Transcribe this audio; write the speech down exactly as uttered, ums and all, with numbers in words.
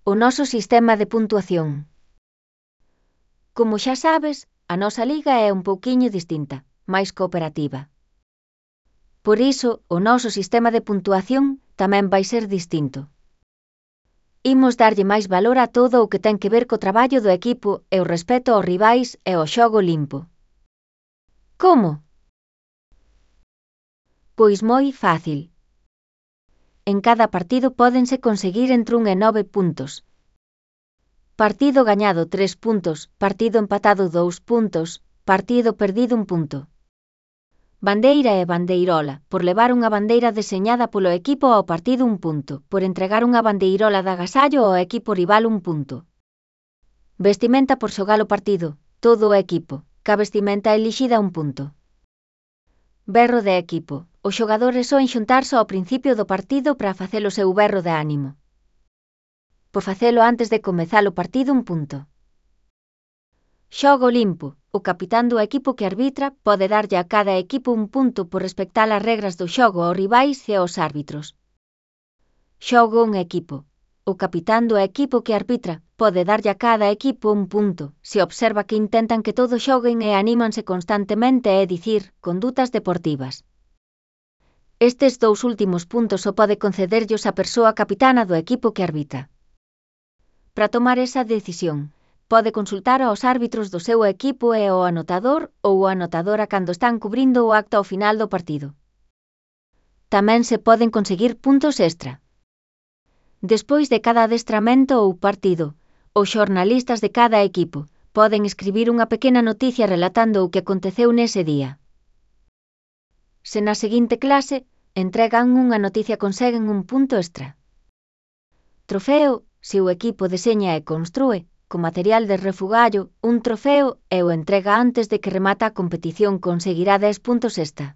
O noso sistema de puntuación. Como xa sabes, a nosa liga é un pouquiño distinta, máis cooperativa. Por iso, o noso sistema de puntuación tamén vai ser distinto. Imos darlle máis valor a todo o que ten que ver co traballo do equipo e o respeto aos rivais e o xogo limpo. Como? Pois moi fácil. En cada partido pódense conseguir entre un e nove puntos. Partido gañado tres puntos, partido empatado dous puntos, partido perdido un punto. Bandeira e bandeirola, por levar unha bandeira deseñada polo equipo ao partido un punto, por entregar unha bandeirola de agasallo ao equipo rival un punto. Vestimenta por xogar o partido, todo o equipo, ca vestimenta elixida un punto. Berro de equipo, os xogadores soen xuntarse ao principio do partido para facer o seu berro de ánimo. Por facelo antes de comezar o partido un punto. Xogo limpo, o capitán do equipo que arbitra pode darlle a cada equipo un punto por respectar as regras do xogo aos rivais e aos árbitros. Xogo un equipo, o capitán do equipo que arbitra pode darlle a cada equipo un punto se observa que intentan que todos xoguen e anímanse constantemente, é dicir, condutas deportivas. Estes dous últimos puntos o pode concederllos a persoa capitana do equipo que arbitra. Para tomar esa decisión, pode consultar aos árbitros do seu equipo e ao anotador ou a anotadora cando están cubrindo o acto ao final do partido. Tamén se poden conseguir puntos extra. Despois de cada adestramento ou partido, os xornalistas de cada equipo poden escribir unha pequena noticia relatando o que aconteceu nese día. Se na seguinte clase entregan unha noticia conseguen un punto extra. Trofeo, se o equipo deseña e constrúe, con material de refugallo, un trofeo e o entrega antes de que remata a competición conseguirá dez puntos extra.